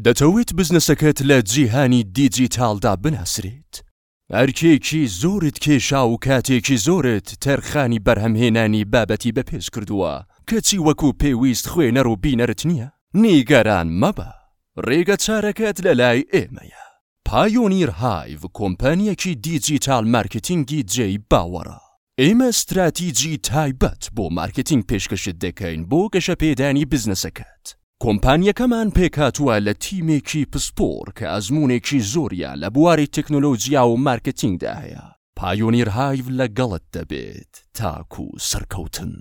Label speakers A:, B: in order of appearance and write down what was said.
A: دەتەوێت بزنسەکەت لە جیهانی دیجیتاڵدا بناسرێت؟ ئەرکێکی زۆرت کێشا و کاتێکی زۆرت تەرخانی بەرهەمهێنانی بابەتی بەپێز کردووە، کەچی وەکو پێویست خوێنەر و بینەرت نییە؟ نیگەران مەبە، ڕێگەچارەکەت لەلای ئێمەیە. پایۆنیر هایڤ کۆمپانییەکی دیجیتاڵ مارکێتینگی جێی باوەڕە. ئێمە ستراتیجی تایبەت بۆ مارکێتینگ پێشکەشت دەکەین بۆ گەشەپێدانی بزنسەکەت. کۆمپانیەکەمان پێکهاتووە لە تیمێکی پسپۆڕ کە ئەزموونێکی زۆریان لە بواری تەکنۆلۆجیا و مارکێتینگدا هەیە. پایۆنیر هایڤ لەگەڵت دەبێت تاکو سەرکەوتن.